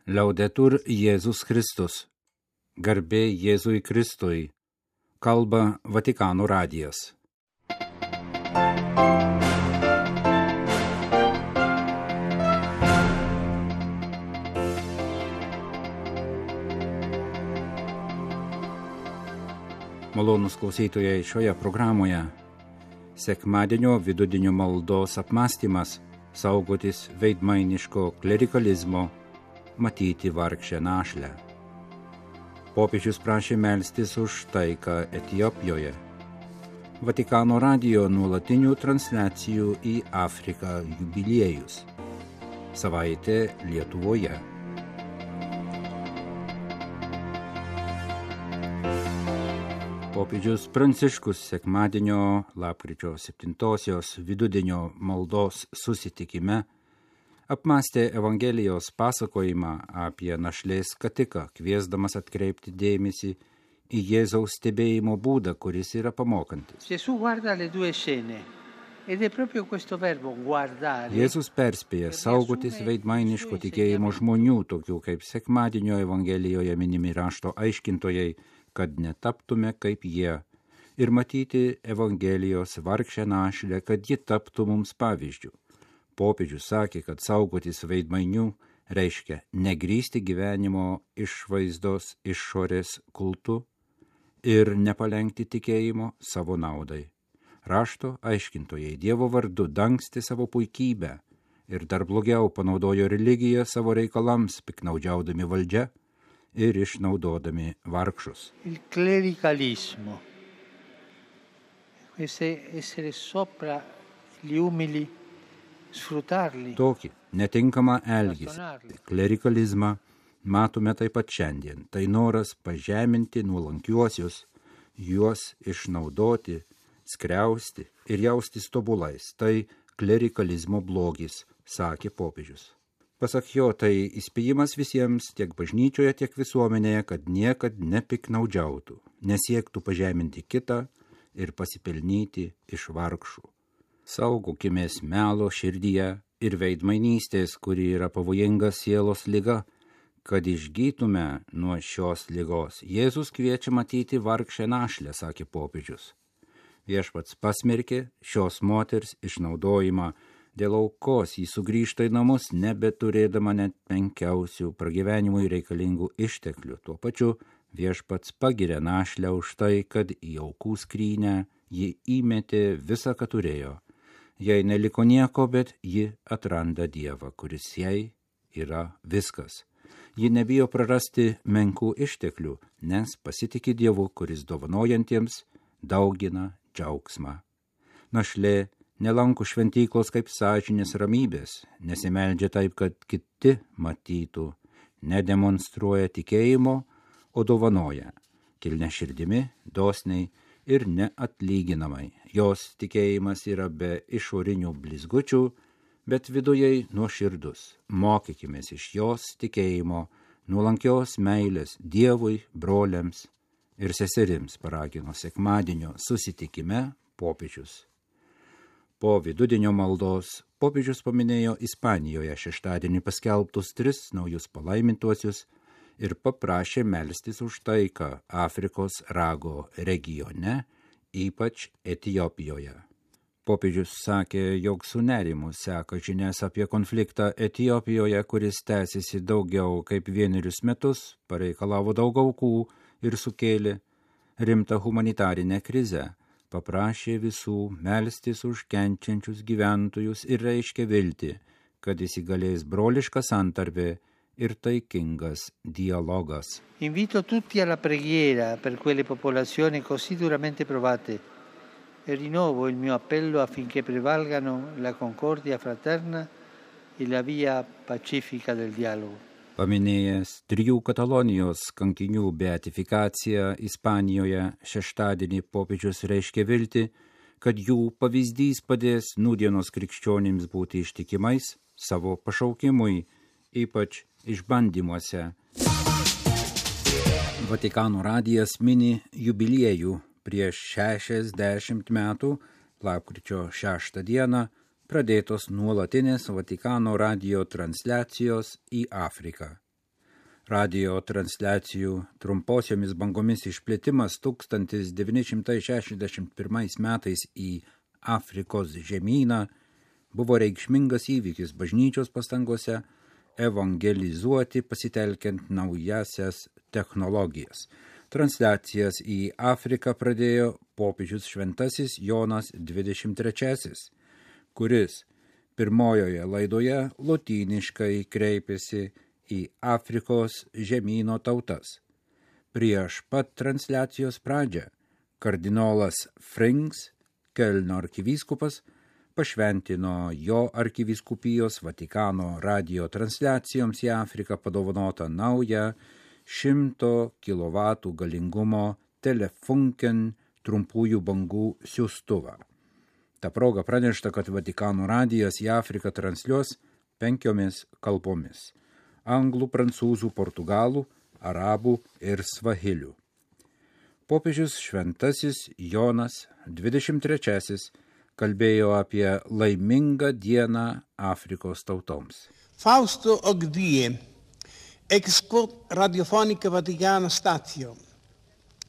Liaudetur Jėzus Kristus. Garbė Jėzui Kristui. Kalba Vatikano radijas. Malonūs klausytojai, šioje programoje sekmadienio vidudienio maldos apmąstymas, saugotis veidmainiško klerikalizmo, matyti vargšę našlę. Popiežius prašė melstis už taiką Etiopijoje. Vatikano radijo nuolatinių transliacijų į Afriką jubiliejus. Savaitė Lietuvoje. Popiežius Pranciškus sekmadienio lapkričio 7-osios vidudienio maldos susitikime apmąstė Evangelijos pasakojimą apie našlės skatiką, kviesdamas atkreipti dėmesį į Jėzaus stebėjimo būdą, kuris yra pamokantis. Jėzus perspėja saugotis veidmainiško tikėjimo žmonių, tokių kaip sekmadienio Evangelijoje minimi rašto aiškintojai, kad netaptume kaip jie, ir matyti Evangelijos vargšę našlę, kad ji taptų mums pavyzdžių. Popiežius sakė, kad saugotis veidmainių reiškia negrįsti gyvenimo išvaizdos išorės kultu ir nepalenkti tikėjimo savo naudai. Rašto aiškintojai Dievo vardu dangstė savo puikybę ir dar blogiau panaudojo religiją savo reikalams, piknaudžiaudami valdžia ir išnaudodami vargšus. Il clericalismo, essere sopra gli umili, sfruttarli. Tokį netinkamą elgesį, klerikalizmą matome taip pat šiandien. Tai noras pažeminti nuolankiuosius, juos išnaudoti, skriausti ir jaustis tobulais. Tai klerikalizmo blogis, sakė popiežius. Pasak jo, tai įspėjimas visiems, tiek bažnyčioje, tiek visuomenėje, kad niekad nepiknaudžiautų, nesiektų pažeminti kitą ir pasipelnyti iš vargšų. Saugokimės melo širdyje ir veidmainystės, kuri yra pavojinga sielos liga, kad išgytume nuo šios ligos. Jėzus kviečia matyti vargšę našlę, sakė popiežius. Viešpats pasmerkė šios moters išnaudojimą. Dėl aukos jį sugrįžta į namus, nebeturėdama net menkiausių pragyvenimui reikalingų išteklių. Tuo pačiu viešpats pagiria našlę už tai, kad į aukų skrynę ji įmetė visą, ką turėjo. Jai neliko nieko, bet ji atranda Dievą, kuris jai yra viskas. Ji nebijo prarasti menkų išteklių, nes pasitiki Dievu, kuris dovanojantiems daugina džiaugsmą. Našlė nelanko šventyklos kaip sąžinės ramybės, nesimeldžia taip, kad kiti matytų, nedemonstruoja tikėjimo, o dovanoja, kilnia širdimi, dosniai ir neatlyginamai. Jos tikėjimas yra be išorinių blizgučių, bet vidujai nuoširdus. Mokykimės iš jos tikėjimo, nuolankios meilės Dievui, broliams ir seserims, paragino sekmadienio susitikime popiežius. Po vidudienio maldos popiežius paminėjo Ispanijoje šeštadienį paskelbtus 3 naujus palaimintuosius ir paprašė melstis už taiką Afrikos rago regione, ypač Etiopijoje. Popiežius sakė, jog su nerimu seka žinias apie konfliktą Etiopijoje, kuris tęsiasi daugiau kaip 1 metus, pareikalavo daug aukų ir sukėlė rimtą humanitarinę krizę. Paprašė visų melstis už kenčiančius gyventojus ir reiškė viltį, kad įsigalės broliška santarvė ir taikingas dialogas. Invito tutti alla preghiera per quelle popolazioni così duramente provate e rinnovo il mio appello affinché prevalgano la concordia fraterna e la via pacifica del dialogo. Paminėjęs 3 Katalonijos kankinių beatifikaciją Ispanijoje šeštadienį popiežius reiškė viltį, kad jų pavyzdys padės nūdienos krikščionims būti ištikimais savo pašaukimui, ypač išbandymuose. Vatikano radijas mini jubiliejų. Prieš 60 metų, lapkričio 6 dieną, pradėtos nuolatinės Vatikano radijo transliacijos į Afriką. Radio transliacijų trumposiomis bangomis išplėtimas 1961 metais į Afrikos žemyną buvo reikšmingas įvykis bažnyčios pastangose evangelizuoti pasitelkiant naujasias technologijas. Transliacijas į Afriką pradėjo popiežius šventasis Jonas XXIII, kuris pirmojoje laidoje lotyniškai kreipėsi į Afrikos žemyno tautas. Prieš pat transliacijos pradžią kardinolas Frings, Kelno arkivyskupas, pašventino jo arkivyskupijos Vatikano radio transliacijoms į Afriką padovanotą naują 100 kW galingumo Telefunken trumpųjų bangų siųstuvą. Ta proga pranešta, kad Vatikano radijas į Afriką transliuos 5 kalbomis – anglų, prancūzų, portugalų, arabų ir svahilių. Popiežius šventasis Jonas XXIII kalbėjo apie laimingą dieną Afrikos tautoms. Fausto Ogdie, ex quod radiofonica Vaticana statio,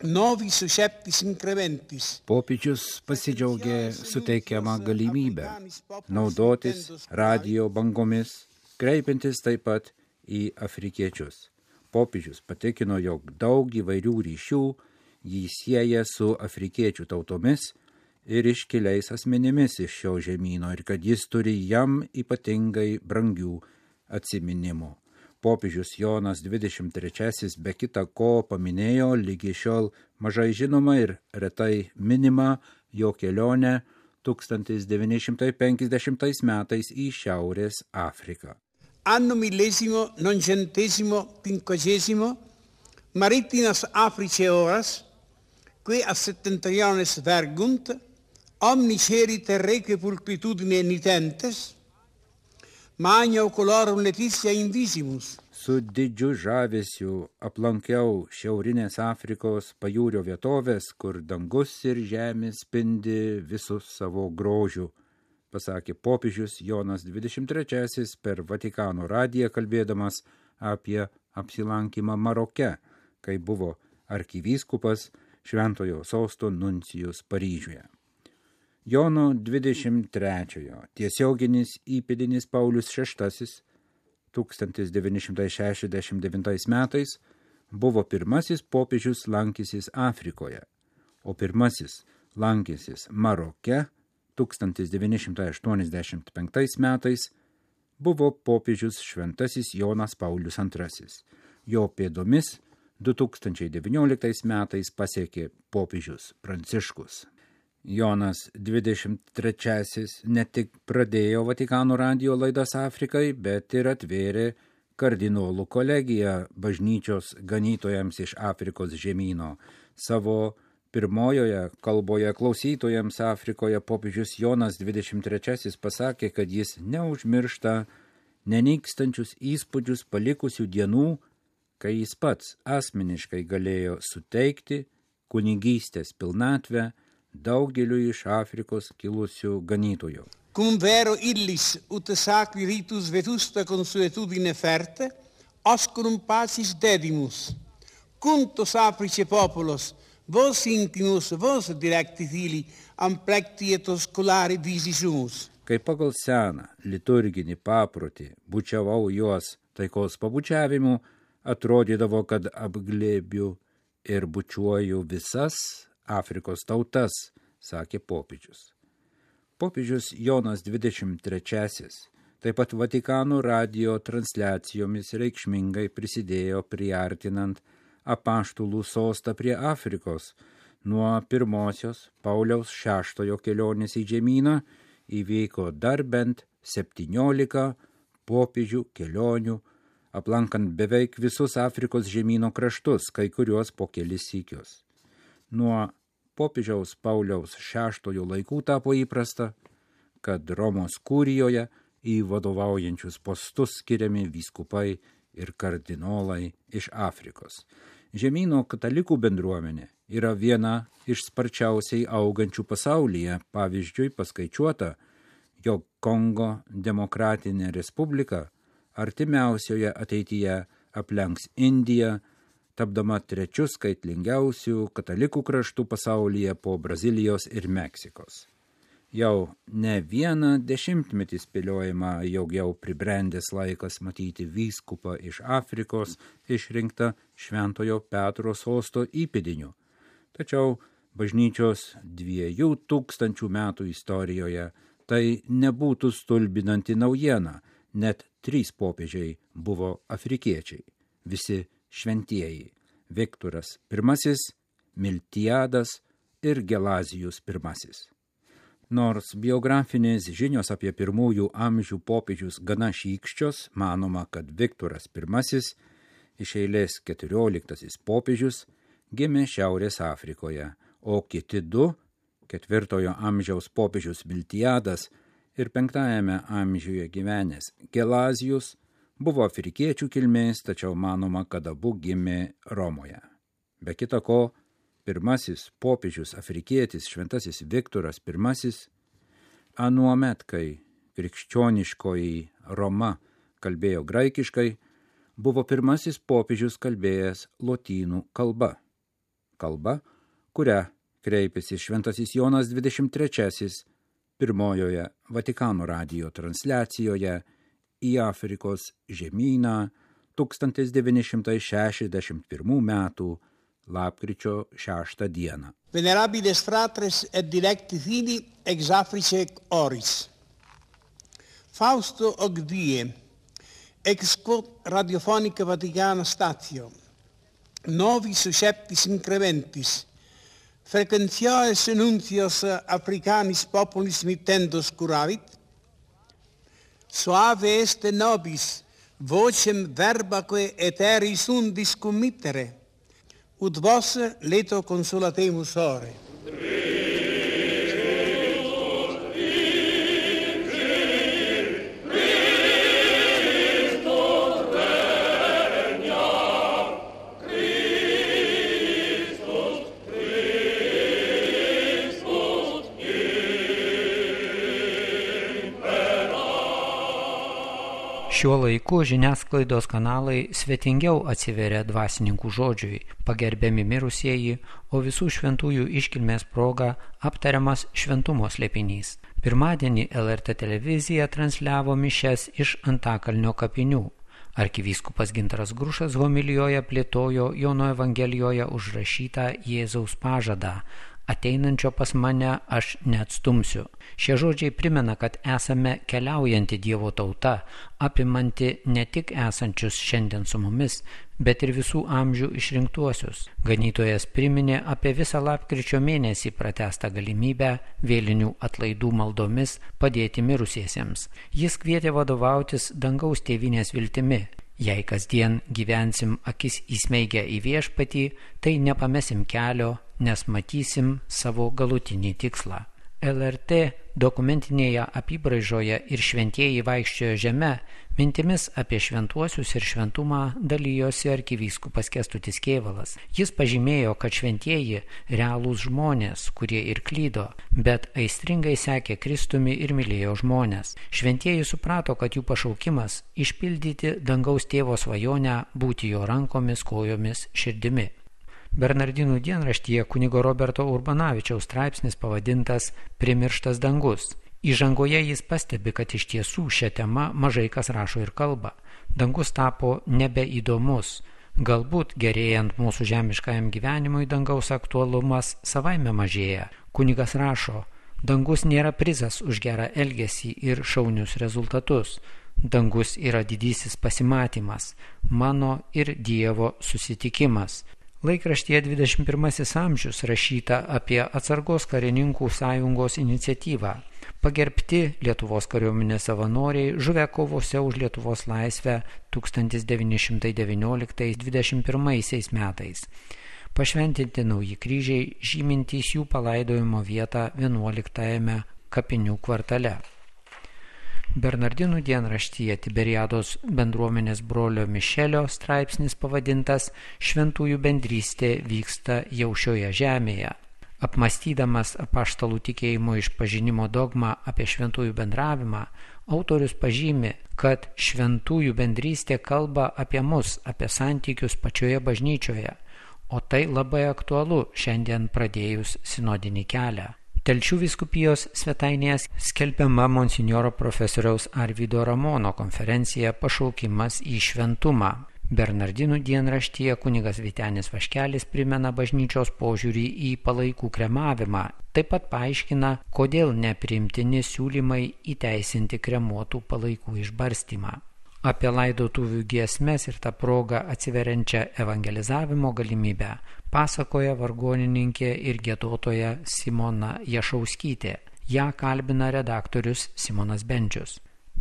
novi susceptis incrementis. Popiežius pasidžiaugė suteikiamą galimybę naudotis radio bangomis, kreipiantis taip pat į afrikiečius. Popiežius patikino, jog daug įvairių ryšių jį sieja su afrikiečių tautomis ir iškiliais asmenimis iš šio žemyno ir kad jis turi jam ypatingai brangių atsiminimų. Popiežius Jonas XXIII be kita ko paminėjo lygi šiol mažai žinoma ir retai minima jo kelionę 1950 metais į Šiaurės Afriką. Anno 1950, maritinas Africae horas, que a septentriones vergunt, omni ceri terreque pulcritudine nitentes, magna ocularum letitia invisimus. Su didžiu žavesiu aplankiau Šiaurinės Afrikos pajūrio vietovės, kur dangus ir žemė spindi visus savo grožiu, pasakė popiežius Jonas XXIII per Vatikano radiją kalbėdamas apie apsilankymą Maroke, kai buvo arkivyskupas Šventojo sosto nuncijus Paryžiuje. Jono 23-ojo tiesioginis įpėdinis Paulius VI 1969 metais buvo pirmasis popiežius lankysis Afrikoje, o pirmasis lankysis Maroke 1985 metais buvo popiežius šventasis Jonas Paulius II. Jo pėdomis 2019 metais pasiekė popiežius Pranciškus. Jonas XXIII ne tik pradėjo Vatikano radijo laidas Afrikai, bet ir atvėrė kardinolų kolegiją bažnyčios ganytojams iš Afrikos žemyno. Savo pirmojoje kalboje klausytojams Afrikoje popiežius Jonas XXIII pasakė, kad jis neužmiršta nenykstančius įspūdžius palikusių dienų, kai jis pats asmeniškai galėjo suteikti kunigystės pilnatvę daugeliu iš Afrikos kilusių ganytojų. Cum vero illis ut sacri ritus vetusta consuetudine ferte, oscurum pacis dedimus. Cuntos Africe populos, vos intimus, vos directi fili, amplectietos colari visi sumus. Kai pagal seną liturginį paprotį bučiavau juos taikos pabučiavimu, atrodydavo, kad apglėbiu ir bučiuoju visas Afrikos tautas, sakė popiežius. Popiežius Jonas XXIII taip pat Vatikano radijo transliacijomis reikšmingai prisidėjo priartinant apaštalų sostą prie Afrikos. Nuo pirmosios Pauliaus VI kelionės į žemyną įvyko dar bent 17 popiežių kelionių, aplankant beveik visus Afrikos žemyno kraštus, kai kuriuos po kelis sykius. Nuo popiežiaus Pauliaus VI laikų tapo įprasta, kad Romos kurijoje į vadovaujančius postus skiriami vyskupai ir kardinolai iš Afrikos. Žemyno katalikų bendruomenė yra viena iš sparčiausiai augančių pasaulyje. Pavyzdžiui, paskaičiuota, jog Kongo demokratinė respublika artimiausioje ateityje aplenks Indiją, tapdama trečiu skaitlingiausių katalikų kraštų pasaulyje po Brazilijos ir Meksikos. Jau ne vieną dešimtmetį spėliojama, jog jau pribrendęs laikas matyti vyskupą iš Afrikos išrinktą Šventojo Petro sosto įpėdiniu. Tačiau bažnyčios 2000 metų istorijoje tai nebūtų stulbinanti naujiena, net 3 popiežiai buvo afrikiečiai, visi šventieji – Viktoras I, Miltiadas ir Gelazijus I. Nors biografinės žinios apie pirmųjų amžių popiežius gana šykščios, manoma, kad Viktoras I, iš eilės 14 popiežius, gimė Šiaurės Afrikoje, o kiti 2, 4 amžiaus popiežius Miltiadas ir 5 amžiuje gyvenęs Gelazijus, buvo afrikiečių kilmės, tačiau manoma, kad abu gimė Romoje. Be kita ko, pirmasis popiežius afrikietis šventasis Viktoras I, anuomet, kai krikščioniškoji Roma kalbėjo graikiškai, buvo pirmasis popiežius kalbėjęs lotynų kalba. Kalba, kurią kreipėsi šventasis Jonas XXIII pirmojoje Vatikano radijo transliacijoje į Afrikos žemyną 1961 metų lapkričio 6 dieną. Venerabiles fratres et dilecti fili ex Africae oris. Fausto Ogdie, ex quod radiofonica Vaticana statio, novi susceptis incrementis, frequentiaes enuncios africanis populis mittendos curavit, suave est nobis vocem verbaque aeteris undis committere, ut vos leto consolatemus ore. Šiuo laiku žiniasklaidos kanalai svetingiau atsiveria dvasininkų žodžiui, pagerbiami mirusieji, o visų šventųjų iškilmės proga aptariamas šventumo slėpinys. Pirmadienį LRT televizija transliavo mišias iš Antakalnio kapinių. Arkivyskupas Gintaras Grušas homilijoje plėtojo Jono Evangelijoje užrašytą Jėzaus pažadą: ateinančio pas mane aš neatstumsiu. Šie žodžiai primena, kad esame keliaujanti Dievo tauta, apimanti ne tik esančius šiandien su mumis, bet ir visų amžių išrinktuosius. Ganytojas priminė apie visą lapkričio mėnesį pratęstą galimybę vėlinių atlaidų maldomis padėti mirusiesiems. Jis kvietė vadovautis dangaus tėvynės viltimi. Jei kasdien gyvensim akis įsmeigę į viešpatį, tai nepamesim kelio, nes matysim savo galutinį tikslą. LRT dokumentinėje apybraižoje ir šventieji vaikščiojo žeme mintimis apie šventuosius ir šventumą dalijosi arkivyskupas Kęstutis Kėvalas. Jis pažymėjo, kad šventieji realūs žmonės, kurie ir klydo, bet aistringai sekė Kristumi ir mylėjo žmonės. Šventieji suprato, kad jų pašaukimas išpildyti dangaus tėvo svajonę būti jo rankomis, kojomis, širdimi. Bernardinų dienraštyje kunigo Roberto Urbanavičiaus straipsnis pavadintas Primirštas dangus. Įžangoje jis pastebi, kad iš tiesų šią temą mažai kas rašo ir kalba. Dangus tapo nebeįdomus. Galbūt gerėjant mūsų žemiškajam gyvenimui dangaus aktualumas savaime mažėja. Kunigas rašo: dangus nėra prizas už gerą elgesį ir šaunius rezultatus. Dangus yra didysis pasimatymas, mano ir Dievo susitikimas. Laikraštyje 21 amžius rašyta apie atsargos karininkų sąjungos iniciatyvą. Pagerbti Lietuvos kariuomenės savanoriai žuvę kovose už Lietuvos laisvę 1919-21 metais. Pašventinti nauji kryžiai žymintys jų palaidojimo vietą 11 kapinių kvartale. Bernardinų dienraštyje Tiberiados bendruomenės brolio Mišelio straipsnis pavadintas Šventųjų bendrystė vyksta jau šioje žemėje. Apmąstydamas apaštalų tikėjimo išpažinimo dogmą apie šventųjų bendravimą, autorius pažymi, kad šventųjų bendrystė kalba apie mus, apie santykius pačioje bažnyčioje, o tai labai aktualu šiandien pradėjus sinodinį kelią. Telšių vyskupijos svetainėje skelbiama monsinjoro profesoriaus Arvydo Ramono konferencija Pašaukimas į šventumą. Bernardinų dienraštyje kunigas Vytenis Vaškelis primena bažnyčios požiūrį į palaikų kremavimą. Taip pat paaiškina, kodėl nepriimtini siūlymai įteisinti kremuotų palaikų išbarstymą. Apie laidotuvių giesmes ir tą progą atsiveriančią evangelizavimo galimybę pasakoja vargonininkė ir giedotoja Simona Jašauskytė. Ją kalbina redaktorius Simonas Bendžius.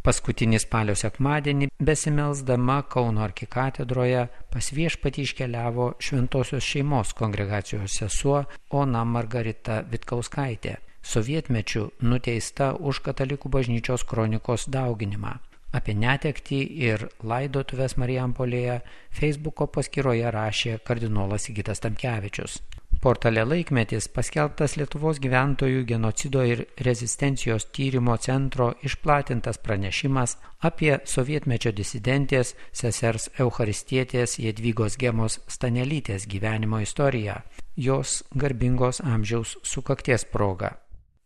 Paskutinį spalio sekmadienį besimelsdama Kauno arkikatedroje pas Viešpatį iškeliavo Šventosios šeimos kongregacijos sesuo Ona Margarita Vitkauskaitė, sovietmečiu nuteista už katalikų bažnyčios kronikos dauginimą. Apie netektį ir laidotuves Marijampolėje Facebooko paskyroje rašė kardinolas Sigitas Tamkevičius. Portale Laikmetis paskelbtas Lietuvos gyventojų genocido ir rezistencijos tyrimo centro išplatintas pranešimas apie sovietmečio disidentės sesers Eucharistietės Jadvygos Gemos Stanelytės gyvenimo istoriją, jos garbingos amžiaus sukakties proga.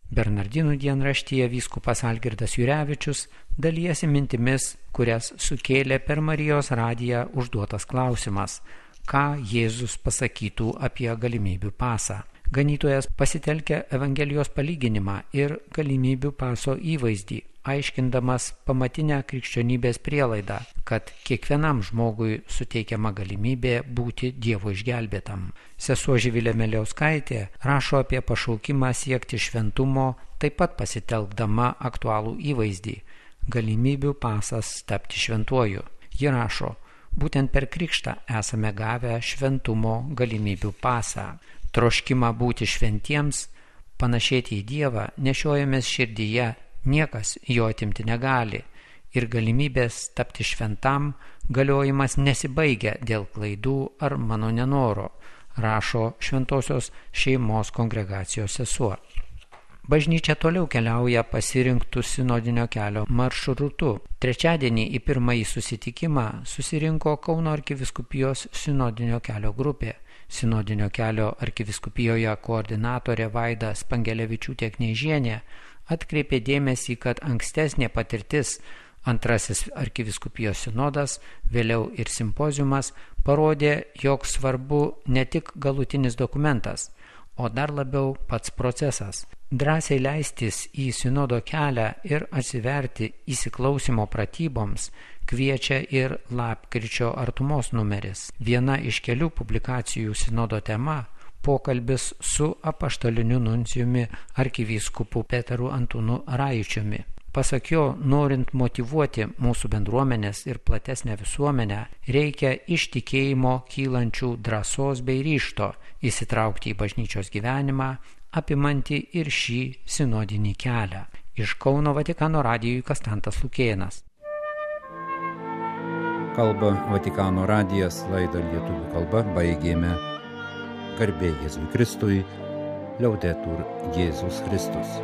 Bernardinų dienraštyje vyskupas Algirdas Jurevičius dalijasi mintimis, kurias sukėlė per Marijos radiją užduotas klausimas, ką Jėzus pasakytų apie galimybių pasą. Ganytojas pasitelkia Evangelijos palyginimą ir galimybių paso įvaizdį, aiškindamas pamatinę krikščionybės prielaidą, kad kiekvienam žmogui suteikiama galimybė būti Dievo išgelbėtam. Sesuo Živilė Meliauskaitė rašo apie pašaukimą siekti šventumo, taip pat pasitelkdama aktualų įvaizdį – galimybių pasas tapti šventuoju. Ji rašo, būtent per krikštą esame gavę šventumo galimybių pasą. Troškimą būti šventiems, panašėti į Dievą nešiojamės širdyje, niekas jo atimti negali ir galimybės tapti šventam galiojimas nesibaigia dėl klaidų ar mano nenoro, rašo Šventosios šeimos kongregacijos sesuo. Bažnyčia toliau keliauja pasirinktų sinodinio kelio maršrutu. Trečiadienį į pirmąjį susitikimą susirinko Kauno arkivyskupijos sinodinio kelio grupė. Sinodinio kelio arkivyskupijoje koordinatorė Vaida Spangelevičiūtė Kneižienė atkreipė dėmesį, kad ankstesnė patirtis, antrasis arkivyskupijos sinodas, vėliau ir simpoziumas, parodė, jog svarbu ne tik galutinis dokumentas, o dar labiau pats procesas. Drąsiai leistis į sinodo kelią ir atsiverti įsiklausimo pratyboms kviečia ir lapkričio artumos numeris. Viena iš kelių publikacijų sinodo tema – pokalbis su apaštaliniu nuncijumi arkivyskupu Petru Antūnu Rajučiumi. Pasak jo, norint motyvuoti mūsų bendruomenės ir platesnę visuomenę, reikia iš tikėjimo kylančių drąsos bei ryžto įsitraukti į bažnyčios gyvenimą, apimanti ir šį sinodinį kelią. Iš Kauno Vatikano radijui Kastantas Lukėnas. Kalba Vatikano radijas, laidą lietuvių kalba baigėme. Garbė Jėzui Kristui, Liaudetur Jėzus Kristus.